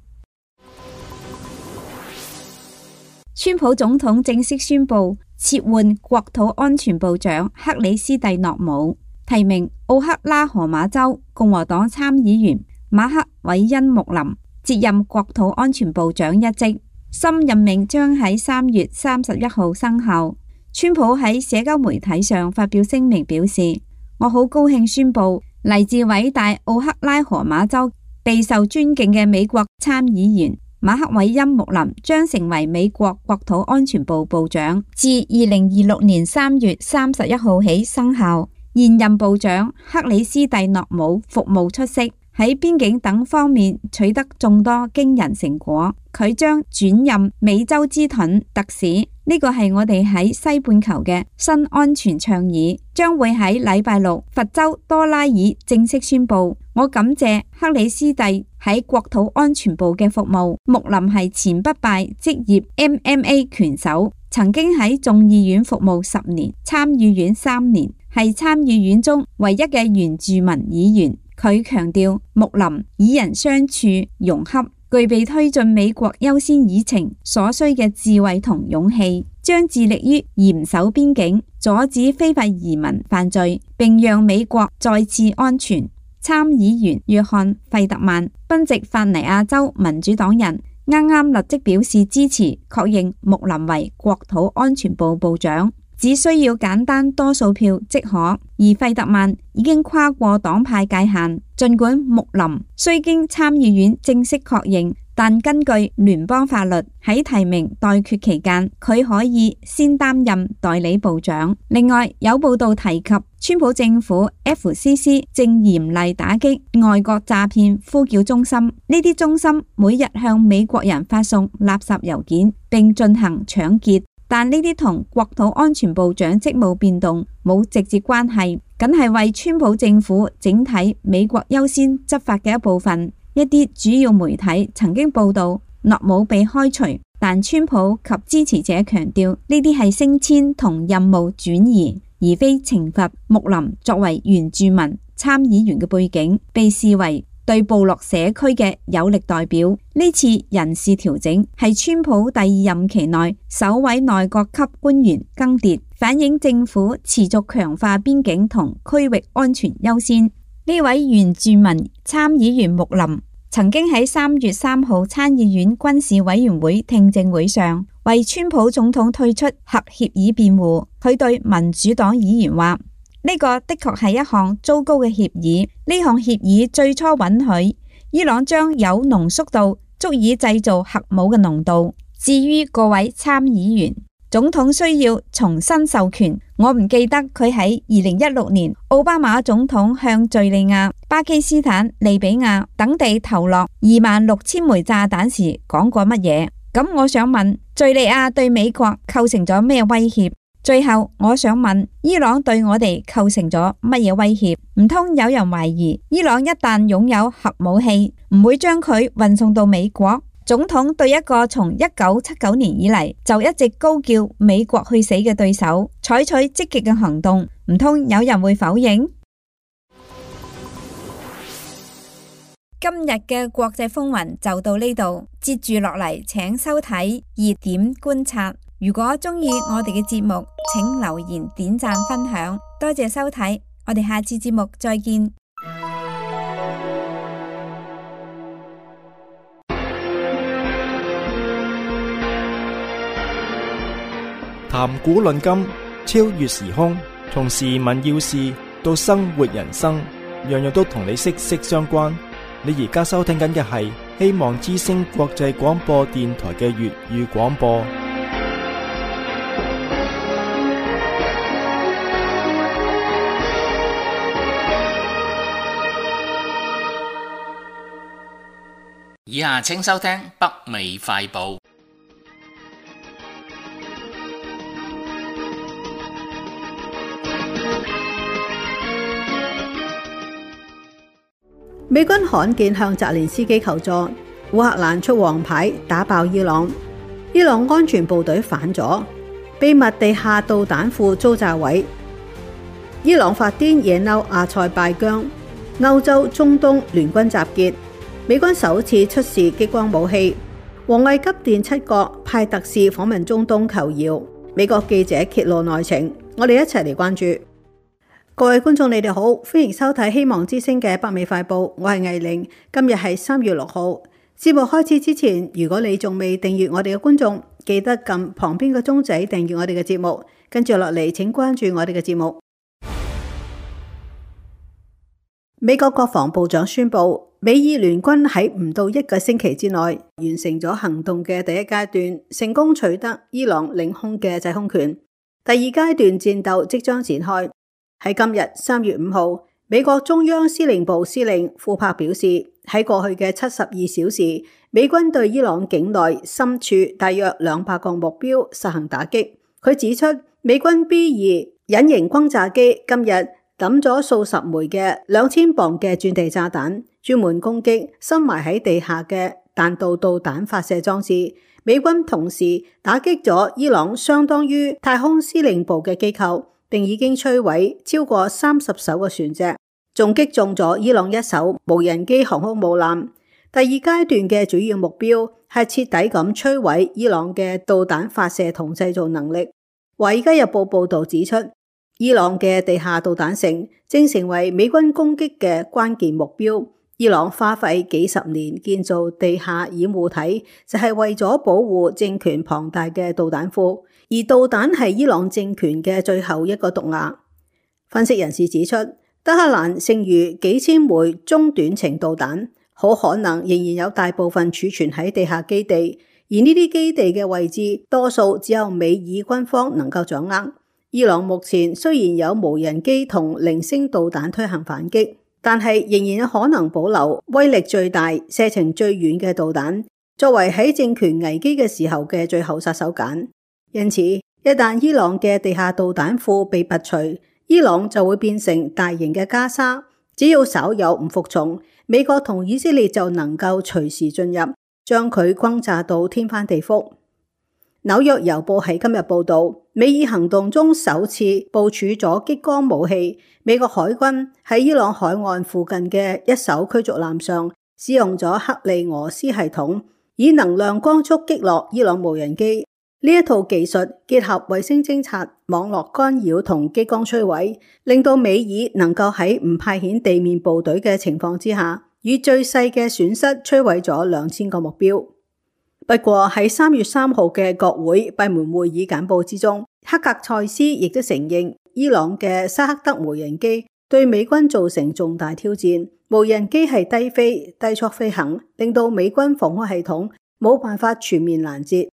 川普總統正式宣布撤換國土安全部長克里斯蒂諾姆，提名奧克拉荷馬州共和黨參議員馬克韋恩穆林接任國土安全部長一職。新任命將喺三月三十一號生效。川普喺社交媒體上發表聲明表示，我好高興宣布嚟自偉大奧克拉荷馬州備受尊敬嘅美國參議員馬克韋恩穆林將成為美國國土安全部部長，自二零二六年三月三十一號起生效。現任部長克里斯蒂諾姆服務出色，喺邊境等方面取得眾多驚人成果。佢將轉任美洲之盾特使，呢個係我哋喺西半球嘅新安全倡議，將會喺禮拜六佛州多拉爾正式宣布。我感謝克里斯蒂喺國土安全部嘅服務。穆林係前不敗職業 M M A 拳手，曾經喺眾議院服務十年，參議院三年，係參議院中唯一嘅原住民議員。佢強調穆林與人相處融洽，具備推進美國優先議程所需嘅智慧同勇氣，將致力於嚴守邊境，阻止非法移民犯罪，並讓美國再次安全。參議員約翰費特曼，賓夕法尼亞州民主黨人，啱啱立即表示支持，確認穆林為國土安全部部長，只需要簡單多數票即可。而費特曼已經跨過黨派界限，儘管穆林雖經參議院正式確認，但根據聯邦法律，喺提名待決期間，佢可以先擔任代理部長。另外，有報道提及，川普政府 F C C 正嚴厲打擊外國詐騙呼叫中心，呢啲中心每日向美國人發送垃圾郵件，並進行搶劫。但呢啲同國土安全部長職務變動冇直接關係，僅係為川普政府整體美國優先執法嘅一部分。一啲主要媒體曾經報道諾姆被開除，但川普及支持者強調呢啲係升遷同任務轉移，而非懲罰。穆林作為原住民參議員嘅背景，被視為對部落社區嘅有力代表。呢次人事調整係川普第二任期內首位內閣級官員更迭，反映政府持續強化邊境同區域安全優先。呢位原住民參議員穆林曾經喺三月三號參議院軍事委員會聽證會上為川普總統退出核協議辯護。佢對民主黨議員話：呢個的確係一項糟糕嘅協議。呢項協議最初允許伊朗將有濃縮度足以製造核武嘅濃度。至於各位參議員，總統需要重新授權。我唔記得佢喺二零一六年奧巴馬總統向敘利亞、巴基斯坦、利比亞等地投落二萬六千枚炸彈時講過乜嘢。咁我想問，敘利亞對美國構成咗咩威脅？最後我想問，伊朗對我哋構成咗乜嘢威脅？唔通有人懷疑伊朗一旦擁有核武器，唔會將佢運送到美國？總統對一個從一九七九年以嚟就一直高叫美國去死嘅對手採取積極嘅行動，唔通有人會否認？今日嘅國際風雲就到呢度，接住落嚟請收睇熱點觀察。如果鍾意我哋嘅節目，請留言、點讚、分享，多謝收睇，我哋下次節目再見。談古論今，超越時空，從時聞要事到生活人生，樣樣都同你息息相關。你而家收聽緊嘅係希望之聲國際廣播電台嘅粵語廣播。以下請收聽北美快報。美軍罕見向澤連斯基求助，烏克蘭出黃牌打爆伊朗，伊朗安全部隊反咗，秘密地下導彈庫遭炸毀，伊朗發癲惹嬲阿塞拜疆，歐洲中東聯軍集結，美軍首次出示激光武器，王毅急電七國派特使訪問中東求饒，美國記者揭露內情，我哋一齊嚟關注。各位觀眾，你哋好，歡迎收睇希望之聲嘅北美快報，我係藝玲。今日係三月六號。節目開始之前，如果你仲未訂閱我哋嘅觀眾，記得撳旁邊個鐘仔訂閱我哋嘅節目。跟住落嚟，請關注我哋嘅節目。美國國防部長宣布，美伊聯軍喺唔到一個星期之內完成咗行動嘅第一階段，成功取得伊朗領空嘅制空權。第二階段戰鬥即將展開。喺今日三月五號，美國中央司令部司令庫珀表示，喺過去嘅七十二小時，美軍對伊朗境內深處大約兩百個目標實行打擊。佢指出，美軍 B 二隱形轟炸機今日抌咗數十枚嘅兩千磅嘅鑽地炸彈，專門攻擊深埋喺地下嘅彈道導彈發射裝置。美軍同時打擊咗伊朗相當於太空司令部嘅機構，並已經摧毀超過三十艘嘅船隻，仲擊中咗伊朗一艘無人機航空母艦。第二階段嘅主要目標係徹底咁摧毀伊朗嘅導彈發射同製造能力。華爾街日報報道指出，伊朗嘅地下導彈城正成為美軍攻擊嘅關鍵目標。伊朗花費幾十年建造地下掩護體，就係為咗保護政權龐大嘅導彈庫，而導彈係伊朗政權嘅最後一個毒牙。分析人士指出，德黑蘭剩餘幾千枚中短程導彈，好可能仍然有大部分儲存喺地下基地，而呢啲基地嘅位置多數只有美以軍方能夠掌握。伊朗目前雖然有無人機同零星導彈推行反擊，但係仍然有可能保留威力最大、射程最遠嘅導彈，作為喺政權危機嘅時候嘅最後殺手鐧。因此，一旦伊朗嘅地下導彈庫被拔除，伊朗就會變成大型嘅加沙。只要稍有唔服從，美國同以色列就能夠隨時進入，將佢轟炸到天翻地覆。紐約郵報喺今日報道，美以行動中首次部署咗激光武器。美國海軍喺伊朗海岸附近嘅一艘驅逐艦上使用咗克利俄斯系統，以能量光速擊落伊朗無人機。呢一套技術結合衛星偵察、網絡干擾同激光摧毀，令到美以能夠喺唔派遣地面部隊嘅情況之下，以最細嘅損失摧毀咗兩千個目標。不過喺三月三號嘅國會閉門會議簡報之中，黑格塞斯亦都承認伊朗嘅沙克德無人機對美軍造成重大挑戰。無人機係低飛、低速飛行，令到美軍防空系統冇辦法全面攔截。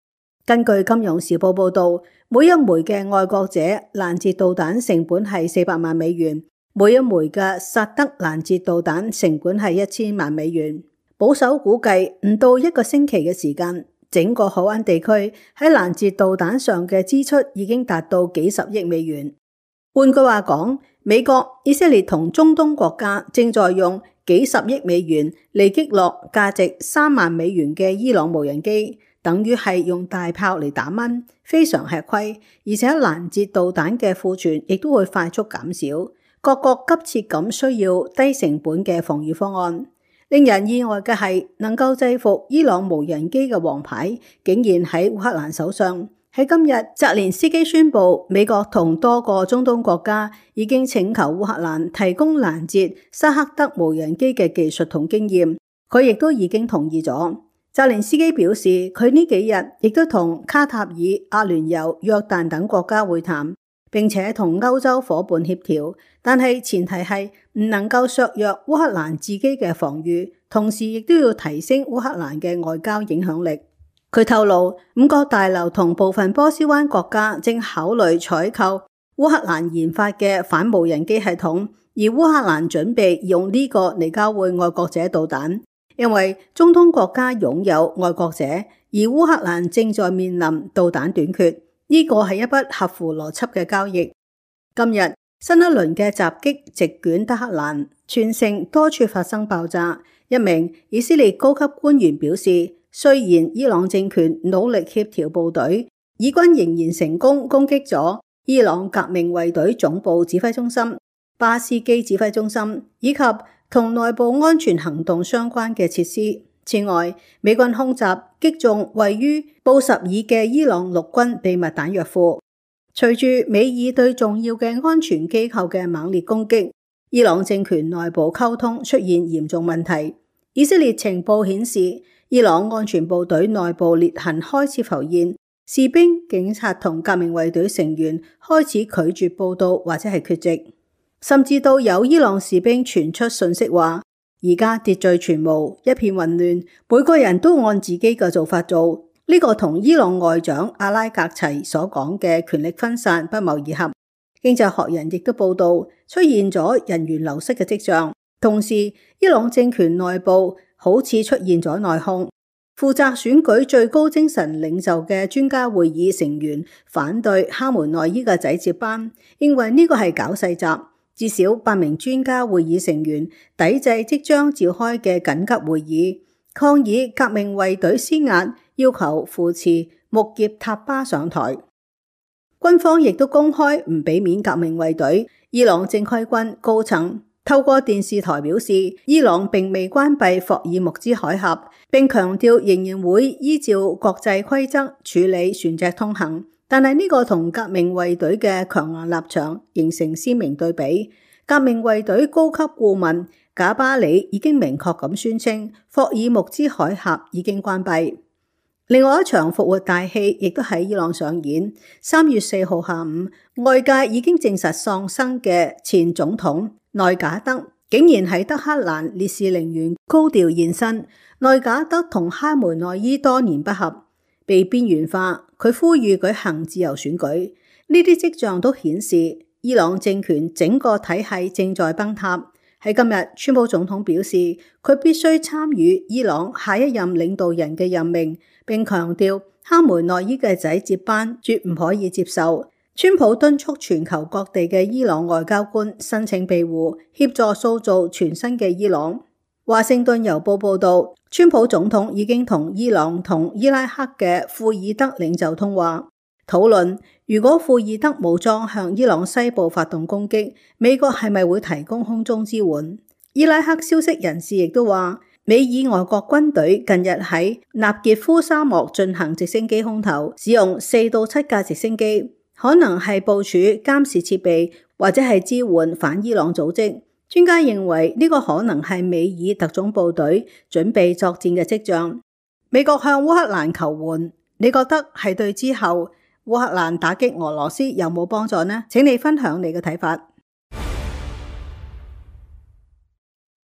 根據金融時報報道，每一枚嘅愛國者攔截導彈成本係四百萬美元，每一枚嘅薩德攔截導彈成本係一千萬美元。保守估計，唔到一個星期嘅時間，整個海灣地區喺攔截導彈上嘅支出已經達到幾十億美元。換句話講，美國、以色列同中東國家正在用幾十億美元嚟擊落價值三萬美元嘅伊朗無人機，等於係用大炮嚟打蚊，非常吃虧。而且攔截導彈嘅庫存亦都會快速減少，各國急切咁需要低成本嘅防禦方案。令人意外嘅係，能夠制服伊朗無人機嘅王牌，竟然喺烏克蘭手上。喺今日，澤連斯基宣布，美國同多個中東國家已經請求烏克蘭提供攔截沙克德無人機嘅技術同經驗，佢亦都已經同意咗。澤連斯基表示，佢呢幾日亦都同卡塔爾、阿聯酋、約旦等國家會談，並且同歐洲夥伴協調，但係前提係唔能夠削弱烏克蘭自己嘅防禦，同時亦都要提升烏克蘭嘅外交影響力。佢透露，五角大樓同部分波斯灣國家正考慮採購烏克蘭研發嘅反無人機系統，而烏克蘭準備用呢個嚟交換愛國者導彈，因為中東國家擁有愛國者，而烏克蘭正在面臨導彈短缺。呢個係一筆合乎邏輯嘅交易。今日新一輪嘅襲擊席捲德黑蘭，全城多處發生爆炸。一名以色列高級官員表示，雖然伊朗政權努力協調部隊，以軍仍然成功攻擊咗伊朗革命衛隊總部指揮中心、巴斯基指揮中心以及同內部安全行動相關嘅設施。此外，美軍空襲擊中位於布什爾嘅伊朗陸軍秘密彈藥庫。隨住美以對重要嘅安全機構嘅猛烈攻擊，伊朗政權內部溝通出現嚴重問題。以色列情報顯示，伊朗安全部隊內部裂痕開始浮現，士兵、警察同革命衛隊成員開始拒絕報到或者係缺席，甚至到有伊朗士兵傳出訊息話，而家秩序全無，一片混亂，每個人都按自己嘅做法做。呢、這個同伊朗外長阿拉格齊所講嘅權力分散不謀而合。經濟學人亦都報道出現咗人員流失嘅跡象，同時伊朗政權內部好似出現咗內訌。負責選舉最高精神領袖嘅專家會議成員反對哈梅內伊嘅仔接班，認為呢個係搞細集。至少八名專家會議成員抵制即將召開嘅緊急會議，抗議革命衛隊施壓，要求扶持穆傑塔巴上台。軍方亦都公開唔俾面革命衛隊。伊朗正規軍高層透過電視台表示，伊朗並未關閉霍爾木茲海峽，並強調仍然會依照國際規則處理船隻通行。但係呢個同革命衛隊嘅強硬立場形成鮮明對比。革命衛隊高級顧問賈巴里已經明確咁宣稱，霍爾木茲海峽已經關閉。另外一場復活大戲亦都喺伊朗上演。三月四號下午，外界已經證實喪生嘅前總統內賈德竟然喺德黑蘭烈士陵園高調現身。內賈德同哈梅內伊多年不合，被邊緣化。佢呼籲舉行自由選舉，呢啲跡象都顯示伊朗政權整個體系正在崩塌。喺今日，川普總統表示佢必須參與伊朗下一任領導人嘅任命，並強調哈梅內伊嘅仔接班絕唔可以接受。川普敦促全球各地嘅伊朗外交官申請庇護，協助塑造全新嘅伊朗。華盛頓郵報報道，川普總統已經同伊朗同伊拉克嘅庫爾德領袖通話，討論如果庫爾德武裝向伊朗西部發動攻擊，美國係咪會提供空中支援？伊拉克消息人士亦都話，美以外國軍隊近日喺納傑夫沙漠進行直升機空投，使用四到七架直升機，可能係部署監視設備或者係支援反伊朗組織。專家認為呢個可能係美以特種部隊準備作戰嘅跡象。美國向烏克蘭求援，你覺得係對之後烏克蘭打擊俄羅斯有冇幫助呢？請你分享你嘅睇法。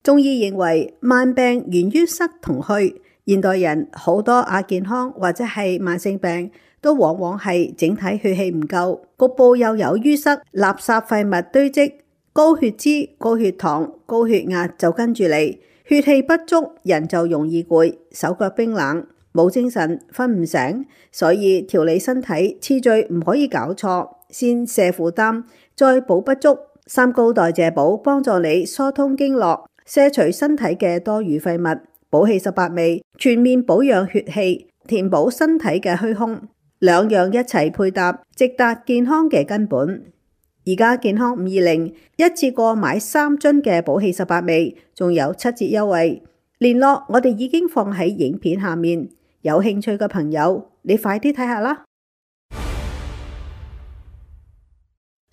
中醫認為慢病源於塞同虛，現代人好多亞健康或者係慢性病都往往係整體血氣唔夠，局部又有淤塞，垃圾廢物堆積，高血脂、高血糖、高血壓就跟住嚟，血氣不足，人就容易攰，手腳冰冷，冇精神，瞓唔醒。所以調理身體次序唔可以搞錯，先瀉負擔，再補不足。三高代謝補幫助你疏通經絡，卸除身體嘅多餘廢物。補氣十八味全面保養血氣，填補身體嘅虛空，兩樣一齊配搭，直達健康嘅根本。而家健康五二零一次過買三樽嘅補氣十八味，仲有七折優惠。聯絡我哋已經放喺影片下面，有興趣嘅朋友，你快啲睇下啦。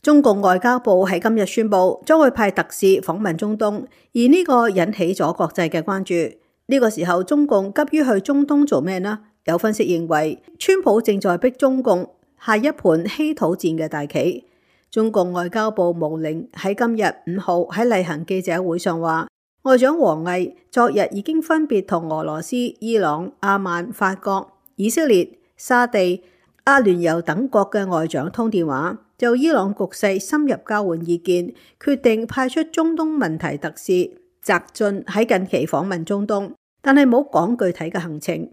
中共外交部喺今日宣布，將會派特使訪問中東，而呢個引起咗國際嘅關注。呢個時候，中共急於去中東做咩呢？有分析認為，川普正在逼中共下一盤稀土戰嘅大棋。中共外交部毛寧喺今日五號喺例行記者會上話，外長王毅昨日已經分別同俄羅斯、伊朗、阿曼、法國、以色列、沙地、阿聯酋等國嘅外長通電話，就伊朗局勢深入交換意見，決定派出中東問題特使翟雋喺近期訪問中東，但係冇講具體嘅行程。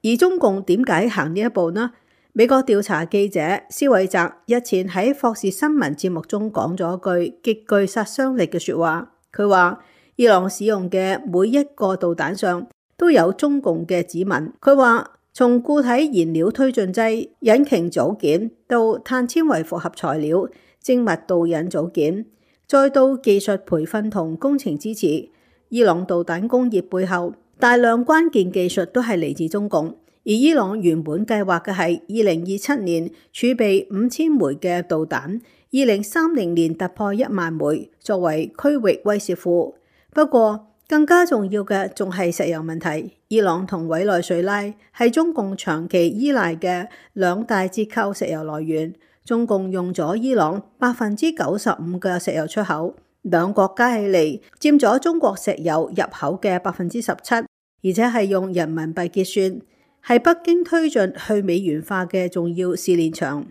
而中共點解行呢一步呢？美國調查記者施韋澤日前喺霍士新聞節目中講咗句極具殺傷力嘅說話，佢話伊朗使用嘅每一個導彈上都有中共嘅指紋。佢話從固體燃料推進劑、引擎組件到碳纖維複合材料、精密導引組件，再到技術培訓同工程支持，伊朗導彈工業背後大量關鍵技術都係嚟自中共。而伊朗原本計劃嘅係二零二七年儲備五千枚嘅導彈，二零三零年突破一萬枚，作為區域威懾庫。不過更加重要嘅仲係石油問題。伊朗同委內瑞拉係中共長期依賴嘅兩大折扣石油來源，中共用咗伊朗百分之九十五嘅石油出口，兩國加起嚟佔咗中國石油入口嘅百分之十七，而且係用人民幣結算，係北京推進去美元化嘅重要試煉場。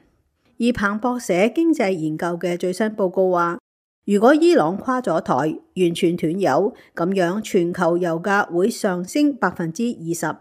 而而彭博社經濟研究嘅最新報告話，如果伊朗垮咗台，完全斷油，咁樣全球油價會上升百分之二十。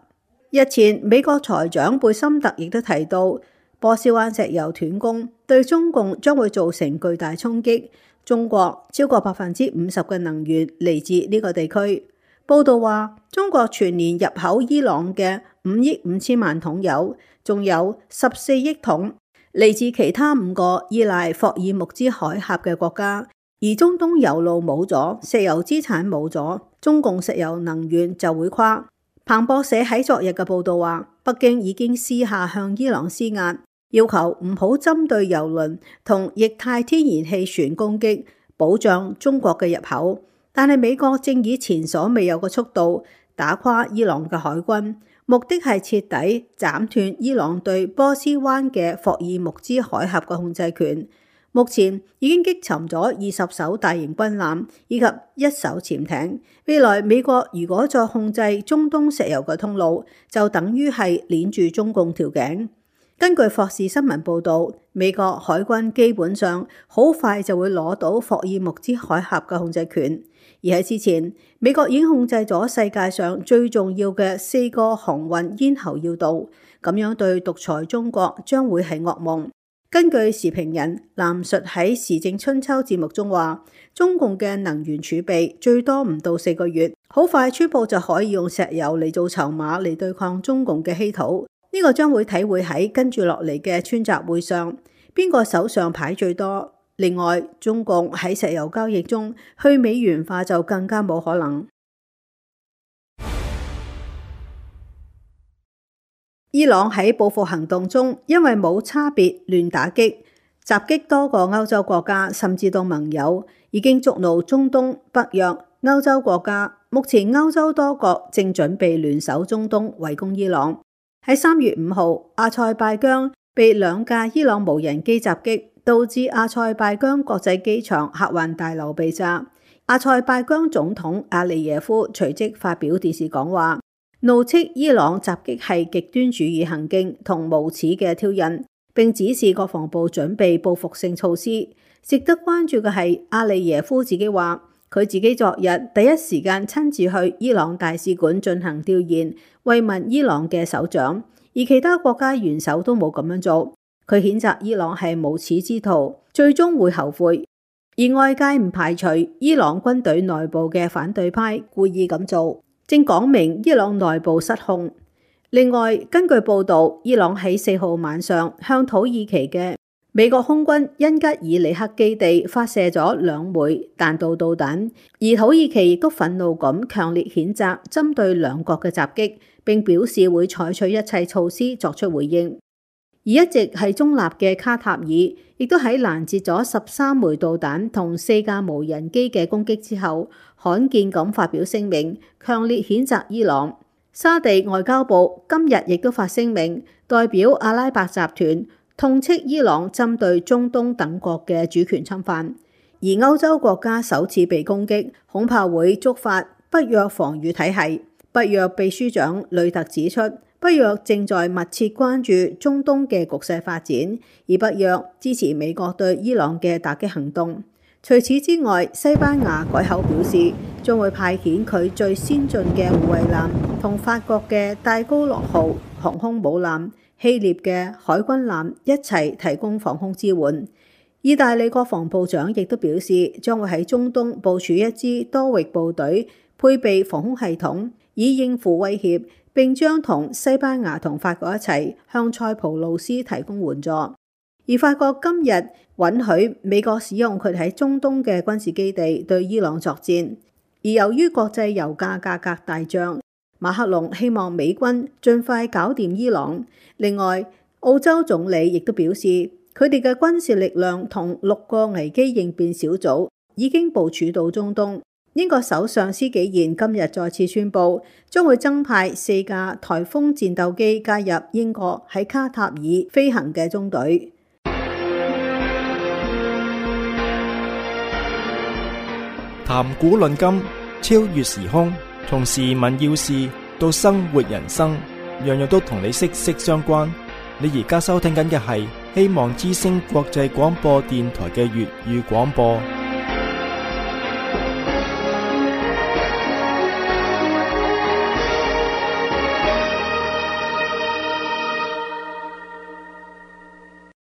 日前，美國財長貝森特亦都提到，波斯灣石油斷供對中共將會造成巨大衝擊。中國超過百分之五十嘅能源嚟自呢個地區。報道話，中國全年入口伊朗嘅五億五千萬桶油，仲有十四億桶嚟自其他五個依賴霍爾木茲海峽嘅國家。而中東油路冇咗，石油資產冇咗，中共石油能源就會垮。彭博社喺昨日嘅報道話，北京已經私下向伊朗施壓，要求唔好針對油輪同液態天然氣船攻擊，保障中國嘅入口。但係美國正以前所未有嘅速度打垮伊朗嘅海軍，目的係徹底斬斷伊朗對波斯灣嘅霍爾木茲海峽嘅控制權。目前已經擊沉咗二十艘大型軍艦以及一艘潛艇。未來美國如果再控制中東石油嘅通路，就等於係鏈住中共條頸。根據霍士新聞報導，美國海軍基本上好快就會攞到霍爾木茲海峽嘅控制權。而喺之前，美國已經控制咗世界上最重要嘅四個航運咽喉要道，咁樣對獨裁中國將會係噩夢。根據時評人藍述喺時政春秋節目中話，中共嘅能源儲備最多唔到四個月，好快川普就可以用石油嚟做籌碼嚟對抗中共嘅稀土。呢、這個將會體會喺跟住落嚟嘅川習會上，邊個手上牌最多。另外，中共喺石油交易中去美元化就更加冇可能。伊朗喺報復行動中，因為冇差別亂打擊，襲擊多個歐洲國家，甚至到盟友，已經觸怒中東、北約、歐洲國家。目前歐洲多國正準備聯手中東圍攻伊朗。喺三月五號，阿塞拜疆被兩架伊朗無人機襲擊，導致阿塞拜疆國際機場客運大樓被炸。阿塞拜疆總統阿利耶夫隨即發表電視講話，怒斥伊朗襲擊係極端主義行徑同無恥嘅挑釁，並指示國防部準備報復性措施。值得關注嘅係，阿利耶夫自己話，佢自己昨日第一時間親自去伊朗大使館進行調研，慰問伊朗嘅首長，而其他國家元首都冇咁樣做。佢譴責伊朗係無恥之徒，最終會後悔。而外界唔排除伊朗軍隊內部嘅反對派故意咁做，正講明伊朗內部失控。另外，根據報導，伊朗喺四號晚上向土耳其嘅美國空軍恩吉爾里克基地發射咗兩枚彈道導彈，而土耳其亦都憤怒咁強烈譴責針對兩國嘅襲擊，並表示會採取一切措施作出回應。而一直係中立嘅卡塔爾，亦都喺攔截咗十三枚導彈同四架無人機嘅攻擊之後，罕見咁發表聲明，強烈譴責伊朗。沙地外交部今日亦都發聲明，代表阿拉伯集團痛斥伊朗針對中東等國嘅主權侵犯。而歐洲國家首次被攻擊，恐怕會觸發北約防禦體系。北約秘書長呂特指出，北約正在密切關注中東嘅局勢發展，而北約支持美國對伊朗嘅打擊行動。除此之外，西班牙改口表示，將會派遣佢最先進嘅護衛艦同法國嘅戴高樂號航空母艦、希臘嘅海軍艦一齊提供防空支援。意大利國防部長亦都表示，將會喺中東部署一支多域部隊，配備防空系統，以應付威脅，並將同西班牙同法國一齊向塞浦路斯提供援助。而法國今日允許美國使用佢喺中東嘅軍事基地對伊朗作戰。而由於國際油價價格大漲，馬克龍希望美軍盡快搞掂伊朗。另外，澳洲總理亦都表示，佢哋嘅軍事力量同六個危機應變小組已經部署到中東。英國首相施紀賢今日再次宣布，將會增派四架颱風戰鬥機加入英國喺卡塔爾飛行嘅中隊。談古論今，超越時空，從時聞要事到生活人生，樣樣都同你息息相關。你而家收聽緊嘅係希望之聲國際廣播電台嘅粵語廣播。